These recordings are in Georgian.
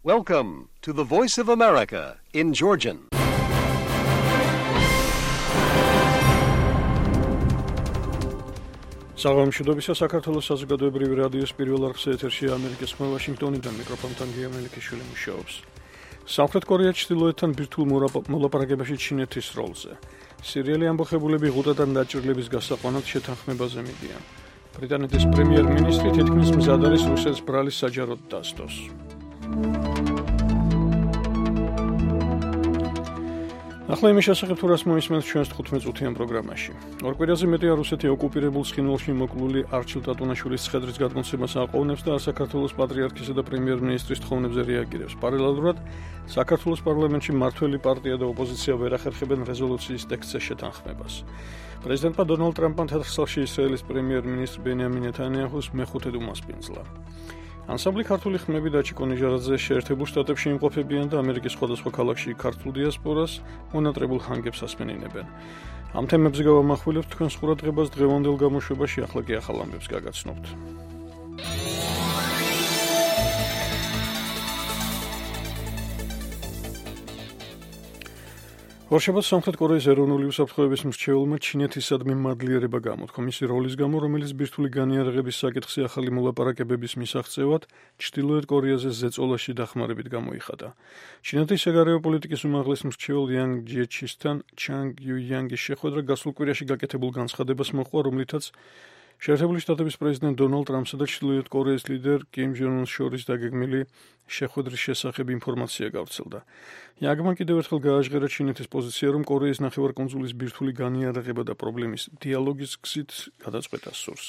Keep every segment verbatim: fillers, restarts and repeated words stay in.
Welcome to the Voice of America in Georgian. საღამოშობისა საქართველოს საზოგადოებრივი რადიოს პირველ არხზე ეთერშია ამერიკის ხმა ვაშინგტონიდან მიკროფონთან გია მელიქიშვილი მუშაობს. სამხრეთ კორეა ჩრდილოეთთან ბირთვულ მოლაპარაკებაში ჩინეთის როლზე. სირიელი ამბოხებულები ღუტადან დაჭრილების გასაყვანად შეთანხმებაზე მიდიან. ბრიტანეთის პრემიერ-მინისტრი თითქმის მზად არის რუსეთს ბრალის საჯაროდ დასდოს. ახლა იმის შესახებ თუ რას მოისმენთ ჩვენს თხუთმეტ-წუთიან პროგრამაში. ორ კვირაზე მეტია რუსეთი ოკუპირებულ ცხინვალში მოკლული არჩილ ტატუნაშვილის ცხედრის გადმოცემას აყოვნებს და საქართველოს პატრიარქისა და პრემიერ-მინისტრის თხოვნებზე რეაგირებს. პარალელურად საქართველოს პარლამენტში მმართველი პარტია და ოპოზიცია ვერ ახერხებენ რეზოლუციის ტექსტზე შეთანხმებას. პრეზიდენტმა დონალდ ტრამპმა თეთრსალში ისრაელის პრემიერ-მინისტრ ბენიამინ ნეთანიაჰუს მეხუთედ უმასპინძლა. ანსამბლი ქართული ხმები და ჩიკო ნიჟარაძე შეერთებულ შტატებში იმყოფებიან და ამერიკის სხვადასხვა ქალაქში ქართულ დიასპორას მონატრებულ ჰანგებს ასმენინებენ. ამ თემებზე გავამახვილებთ თქვენს ყურადღებას დღევანდელ გამოშვებაში, ახლა კი ახალ ამბებს გაგაცნობთ. ორშაბათს სამხრეთ კორეის ეროვნული უსაფრთხოების მრჩეველმა ჩინეთისადმი მადლიერება გამოთქვა მისი როლის გამო, რომელიც ბირთვული განიარაღების საკითხზე ახალი მოლაპარაკებების მისაღწევად ჩრდილოეთ კორეაზე ზეწოლაში დახმარებით გამოიხადა. ჩინეთის საგარეო პოლიტიკის უმაღლეს მრჩეველ იან ჯიეჩისთან ჩანგ იუიანგის შეხვედრა გასულ კვირაში გაკეთებულ განცხადებას მოჰყვა, რომლითაც შეერთებული შტატების პრეზიდენტ დონალდ ტრამპსა და ჩრდილოეთ კორეის ლიდერ კიმ ჯონ უნს შორის დაგეგმილი შეხვედრის შესახებ ინფორმაცია გავრცელდა. იანგმა კიდევ ერთხელ გააჟღერა ჩინეთის პოზიცია, რომ კორეის ნახევარკუნძულის ბირთვული განიარაღება და პრობლემის დიალოგის გზით გადაწყვეტას სურს.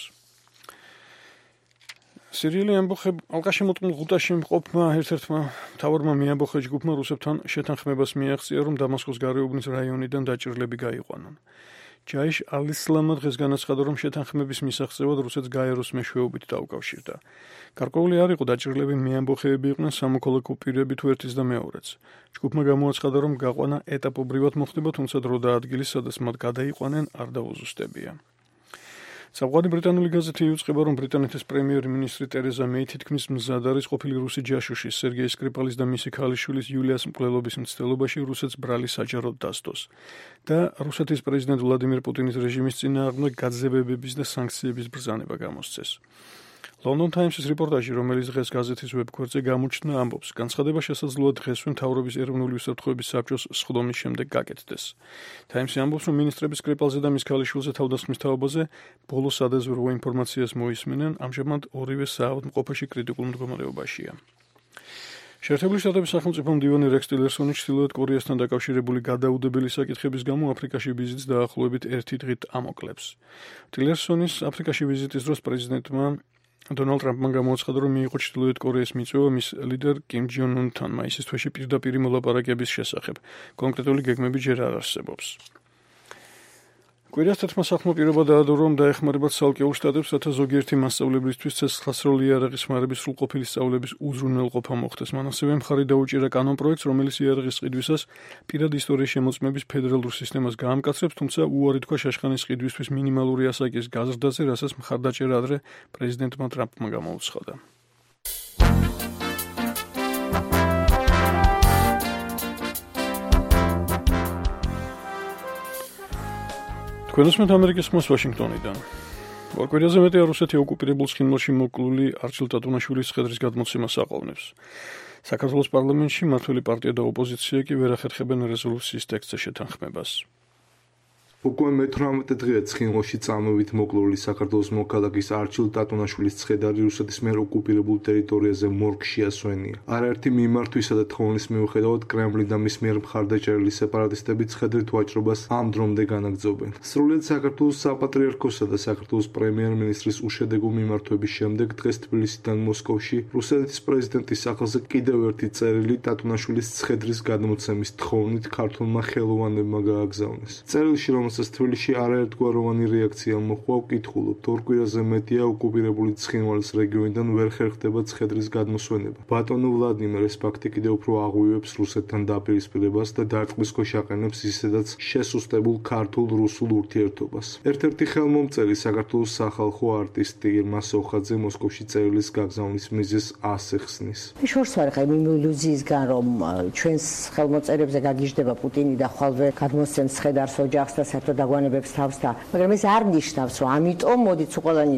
სირიელი ამბოხებ ალყაშემოწყმულ ღუტაში მყოფმა ერთ-ერთმა მთავარმა მიამბოხე ჯგუფმა რუსებთან შეთანხმებას მიაღწია, რომ დამასკოს გარეუბნის რაიონიდან დაჭრილები გაიყვანონ. ჯაიშ ალ-ისლამმა დღეს განაცხადა, რომ შეთანხმების მისაღწევად რუსეთს გაეროს მეშვეობით დაუკავშირდა. გარკვეული არ იყო დაჭრილები მიამბოხეები იყვნენ სამოქალაქო პირები თუ ერთის და მეორეც. ჯგუფმა გამოაცხადა, რომ გაყვანა ეტაპობრივად მოხდება, თუმცა დრო და ადგილი, სადაც მათ გადაიყვანენ, არ დაუზუსტებია. საფუძველი ბრიტანული გაზეთი იუწყება, რომ ბრიტანეთის პრემიერ-მინისტრი ტერეზა მეი თითქმის მზად არის ყოფილი რუსი ჯაშუში სერგეი სკრიპალის და მისი ქალიშვილის იულიას მკვლელობის მცდელობაში რუსეთს ბრალი საჯაროდ დასდოს და რუსეთის პრეზიდენტ ვლადიმირ პუტინის რეჟიმის წინააღმდეგ გაძევებების და სანქციების ბრძანება გამოსცეს. London Times-ის რეპორტაჟი, რომელიც დღეს გაზეთის ვებგვერდზე გამოჩნდა, ამბობს, განცხადება შესაძლოა დღესვე მთავრობის ეროვნული უსაფრთხოების საბჭოს სხდომის შემდეგ გაკეთდეს. Times-ი ამბობს, რომ მინისტრები სკრიპალზე და მის ქალიშვილზე თავდასხმის თაობაზე ბოლოს სადაზვერვო ინფორმაციას მოისმენენ, ამჟამად ორივე საავადმყოფოში კრიტიკულ მდგომარეობაშია. შეერთებული შტატების სახელმწიფო მდივანი რექს ტილერსონი ჩრდილოეთ კორეასთან დაკავშირებული გადაუდებელი საკითხების გამო აფრიკაში ვიზიტს დაახლოებით ერთი დღით ამოკლებს. ტილერსონის აფრიკაში ვიზიტის დროს პრეზიდენტმა დონალდ ტრამპმა გამოაცხადა, რომ მიიღო ჩრდილოეთ კორეის მიწვევა მის ლიდერ კიმ ჯონ უნთან მაისის თვეში პირდაპირ მოლაპარაკების შესახებ. კონკრეტული გეგმები ჯერ არ არსებობს. კვირას თერთმა სახმო პირობა დაადო, რომ დაეხმარებათ ცალკეულ შტატებს, რათა ზოგიერთი მასწავლებლისთვის ცეცხლსასროლი იარაღის ხმარების სრულყოფილი სწავლების უზრუნველყოფა მოხდეს. მან ასევე მხარი დაუჭირა კანონპროექტს, რომელიც იარაღის ყიდვისას პირად ისტორიის შემოწმების ფედერალურ სისტემას გაამკაცრებს, თუმცა უარი თქვა შაშხანის ყიდვისთვის მინიმალური ასაკის გაზრდაზე, რასაც მხარდაჭერა ადრე პრეზიდენტმა ტრამპმა გამოუცხადა. თქვენ უსმენთ ამერიკის ხმას ვაშინგტონიდან. ორ კვირაზე მეტია რუსეთი ოკუპირებულ ცხინვალში მოკლული არჩილ ტატუნაშვილის ცხედრის გადმოცემას აყოვნებს. საქართველოს პარლამენტში მმართველი პარტია და ოპოზიცია კი ვერ ახერხებენ რეზოლუციის ტექსტზე შეთანხმებას. უკვე მეთვრამეტე დღეა ცხინვალში წამებით მოკლული საქართველოს მოქალაქის არჩილ ტატუნაშვილის ცხედარი რუსეთის მიერ ოკუპირებულ ტერიტორიაზე მორგში ასვენია. არაერთი მიმართვისა და თხოვნის მიუხედავად კრემლი და მის მიერ მხარდაჭერილი სეპარატისტები ცხედრით ვაჭრობას ამ დრომდე განაგრძობენ. სრულიად საქართველოს საპატრიარქოსა და საქართველოს პრემიერ-მინისტრის უშედეგო მიმართვების შემდეგ დღეს თბილისიდან მოსკოვში რუსეთის პრეზიდენტის სახელზე კიდევ ერთი წერილი ტატუნაშვილის ცხედრის გადმოცემის თხოვნით ქართულმა ხელოვანებმა გააგზავნეს. წერილში, რომ რომელსაც თბილისში არაერთგვაროვანი რეაქცია მოჰყვა, ვკითხულობთ, ორ კვირაზე მეტია ოკუპირებული ცხინვალის რეგიონიდან ვერ ხერხდება ცხედრის გადმოსვენება. ბატონო ვლადიმერ ეს ფაქტი კიდევ უფრო აღვივებს რუსეთთან დაპირისპირებას და დარტყმის ქვეშ აყენებს ისედაც შესუსტებულ ქართულ-რუსულ ურთიერთობას. ერთ-ერთი ხელმომწერი საქართველოს სახალხო არტისტი ირმა სოხაძე მოსკოვში წერილის გაგზავნის მიზეზს ასე ხსნის. შორს ვარ ხა იმ ილუზიისგან რომ ჩვენს ხელმოწერებზე გაგიჟდება პუტინი და ხვალვე გადმოსცემს ცხედარს ოჯახს და საერთოდ დაგვანებებს თავს და მაგრამ ეს არ ნიშნავს რომ ამიტომ მოდით ყველანი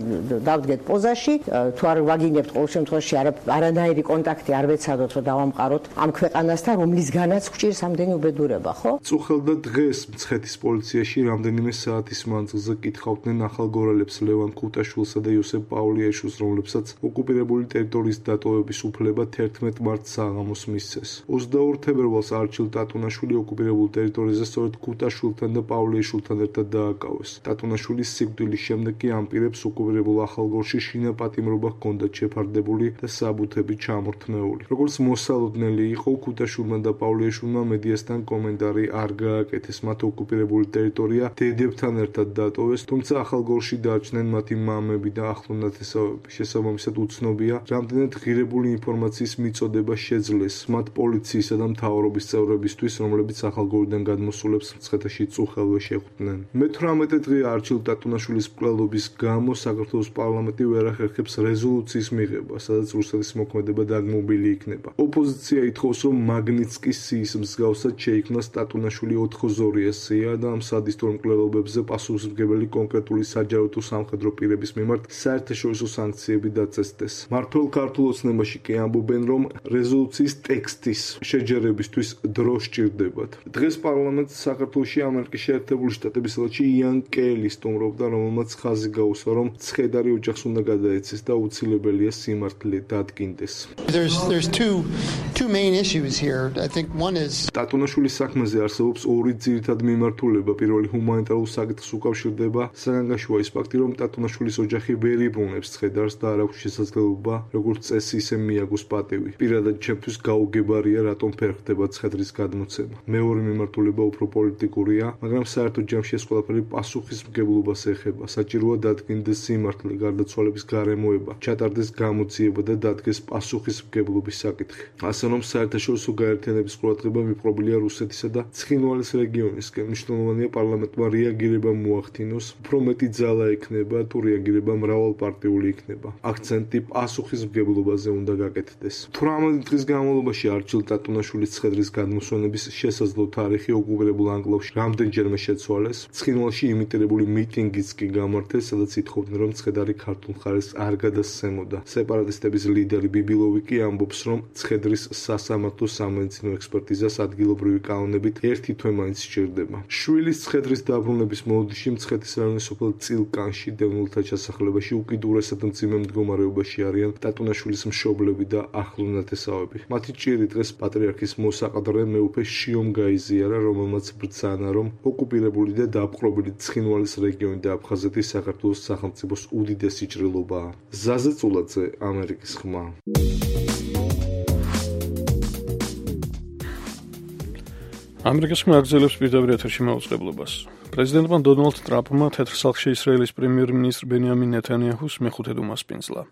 დავდგეთ პოზაში თუ არ ვაგინებთ ყოველ შემთხვევაში არანაირი კონტაქტი არ ვეცადოთ რომ დავამყაროთ ამ ქვეყანასთან რომლისგანაც გვჭირს ამდენი უბედურება ხო? წუხელდა დღეს მცხეთის პოლიციაში რამდენიმე საათის მანძილზე კითხავდნენ ახალგორალებს ლევან ქუტაშვილსა და იოსებ პავლიაშვილს, რომლებსაც ოკუპირებული ტერიტორიის დატოვების უფლება თერთმეტ მარტს საღამოს მისცეს. ოცდაორ თებერვალს არჩილ ტატუნაშვილი ოკუპირებულ ტერიტორიაზე სწორედ ქუტაშვილთან და პავლიაშვილთან ერთად დააკავეს. ტატუნაშვილის სიკვდილის შემდეგ კი ამ პირებს ოკუპირებულ ახალგორში შინაპატიმრობა ჰქონდათ შეფარდებული და საბუთები ჩამორთმეული. როგორც მოსალოდნელი იყო, ქუტაშვილმა და პავლიაშვილმა მედიასთან კომენტარი არ გააკეთეს. მათ ოკუპირებული ტერიტორია დედებთან ერთად დატოვეს, თუმცა ახალგორში დარჩნენ მათი მამები და ახლო ნათესავები. შესაბამისად უცნობია, რამდენად ღირებული ინფორმაციის მიწოდება შეძლეს მათ პოლიციისა და მთავრობის წევრებისთვის, რომლებიც ახალგორიდან გადმოსულებს მცხეთაში წუხელვე შეხვდნენ. მეთვრამეტე დღე არჩილ ტატუნაშვილის მკვლელობის გამო საქართველოს პარლამენტი ვერ ახერხებს რეზოლუციის მიღება, სადაც რუსეთის მოქმედება დაგმობილი იქნება. ოპოზიცია ითხოვს, რომ მაგნიცკის სიის მსგავსად შეიქმნას ტატუნაშვილი ოთხოზორია სია და ამ სადისტურ მკვლელობებზე პასუხისმგებელი კონკრეტული საჯარო თუ სამხედრო პირების მიმართ საერთაშორისო სანქციები დაწესდეს. მართლ ქართულ ოცნებაში კი ამბობენ, რომ რეზოლუციის ტექსტის შეჯერებისთვის დრო სჭირდებათ. დღეს პარლამენტს საქართველოში ამერიკის შეერთებული შტატების ელჩი იან კელი სტუმრობდა, რომელმაც ხაზი გაუსვა, რომ ცხედარი ოჯახს უნდა გადაეცეს და უცილებელია სიმართლე დადგინდეს. There's there's two two main issues here. I think one is ტატუნაშვილის საქმეზე არსებობს ორი ძირითადი მიმართულება. პირველი ჰუმანიტარულ საკითხს უკავშირდება. საგანგაშოა ის ფაქტი, რომ ტატუნაშვილის ოჯახი ვერ იბრუნებს ცხედარს და არ აქვს შესაძლებლობა, როგორც წესი, ისე მიაგოს პატივი. პირადად ჩემთვის გაუგებარია, რატომ ვერ ხდება ცხედრის გადმოცემა. მეორე მიმართულება უფრო პოლიტიკურია, მაგრამ საერთოდ ჯამში ეს ყველაფერი პასუხისმგებლობას ეხება. საჭიროა დადგინდეს სიმართლე, გარდაცვალების გარემოება, ჩატარდეს გამოძიება და დადგეს პასუხისმგებლობის საკითხი. ასე რომ საერთაშორისო გაერთიანების ყურადღება მიპყრობილია რუსეთისა და ცხინვალის რეგიონისკენ. მნიშვნელოვანია პარლამენტმა რეაგირება მოახდინოს, უფრო მეტი ძალა ექნება თუ რეაგირება მრავალპარტიული იქნება. აქცენტი პასუხისმგებლობაზე უნდა გაკეთდეს. თვრამეტ დღის განმავლობაში არჩილ ტატუნაშვილის ცხედრის გადმოსვენების შესაძლო თარიღი ოკუპირებულ ანკლავში რამდენჯერმე შეცვალეს. ცხინვალში იმიტირებული მიტინგიც კი გამართეს, სადაც ითხოვდნენ, რომ ცხედარი ქართულ მხარეს არ გადასცემოდა. სეპარატისტების ლიდერი ბიბილოვი კი ამბობს, რომ ცხედრის სასამართლო სამედიცინო ექსპერტიზას ადგილობრივი კანონებით ერთი თვე მაინც სჭირდება. შვილის ცხედრის დაბრუნების მოლოდინში მცხეთის რაიონის სოფელ წილკანში დევნილთა ჩასახლებაში უკიდურესად მძიმე მდგომარეობაში არიან ტატუნაშვილის მშობლები და ახლო ნათესავები. მათი ჭირი დღეს პატრიარქის მოსაყდრე მეუფე შიომ გაიზიარა, რომელმაც ბრძანა, რომ ოკუპირებული და დაპყრობილი ცხინვალის რეგიონი და აფხაზეთი საქართველოს სახელმწიფოს უდიდესი ჭრილობაა. ზაზე წულაძე, ამერიკის ხმა. ამერიკის ხმა აგრძელებს პირდაპირ ეთერში მაუწყებლობას. პრეზიდენტმა დონალდ ტრამპმა თეთრ სახლში ისრაელის პრემიერ-მინისტრ ბენიამინ ნეთანიაჰუს მეხუთედ უმასპინძლა.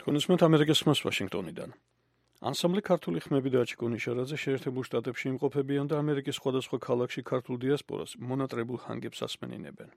თქვენისმეთ ამერიკის ხმას ვაშინგტონიდან. ანსამბლი ქართული ხმები და აჩიკონი შარაძე შეერთებულ შტატებში იმყოფებიან და ამერიკის სხვადასხვა ქალაქში ქართულ დიასპორას მონატრებულ ჰანგებს ასმენინებენ.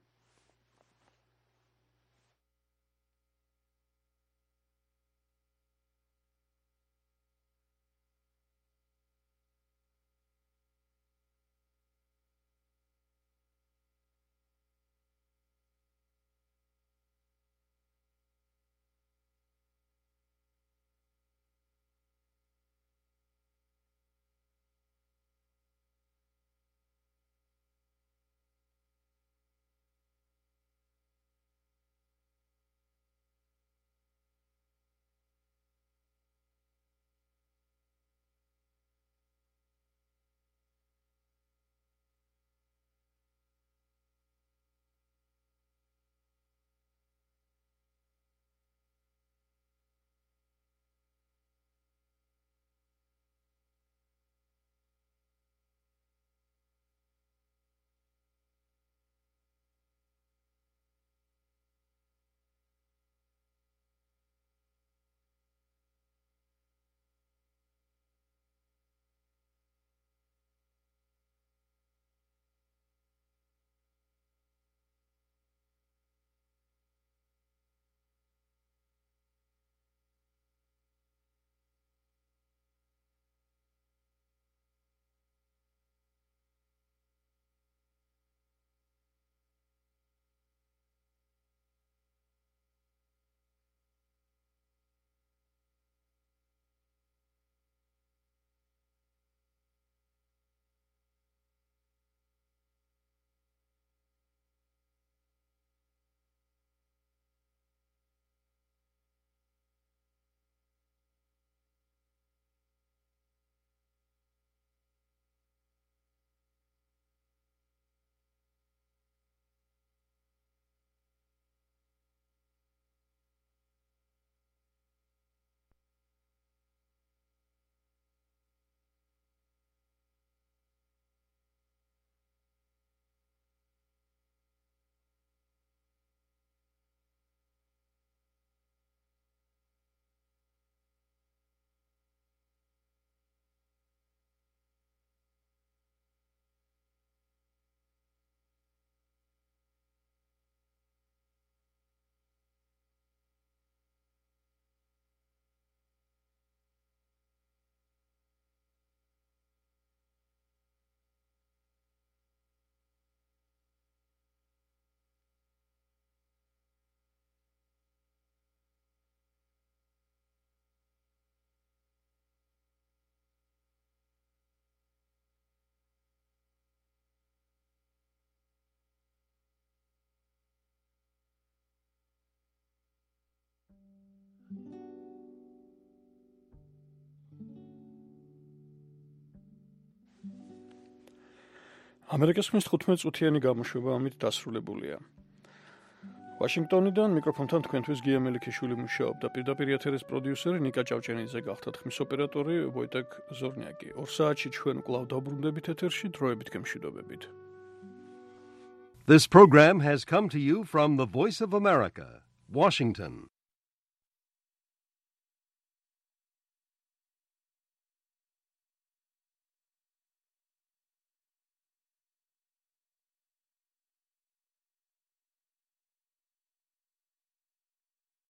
ამერიკის ხმის თხუთმეტ წუთიანი გამოშვება ამით დასრულებულია. ვაშინგტონიდან მიკროფონთან თქვენთვის გია მელიქიშვილი მუშაობდა, პირდაპირ ეთერის პროდიუსერი ნიკა ჭავჭენიძე გახდათ, ხმის ოპერატორი ვოიტეკ ზორნიაკი. ორ საათში ჩვენ კვლავ დაბრუნდებით ეთერში, დროებით გემშვიდობებით. This program has come to you from the Voice of America, Washington.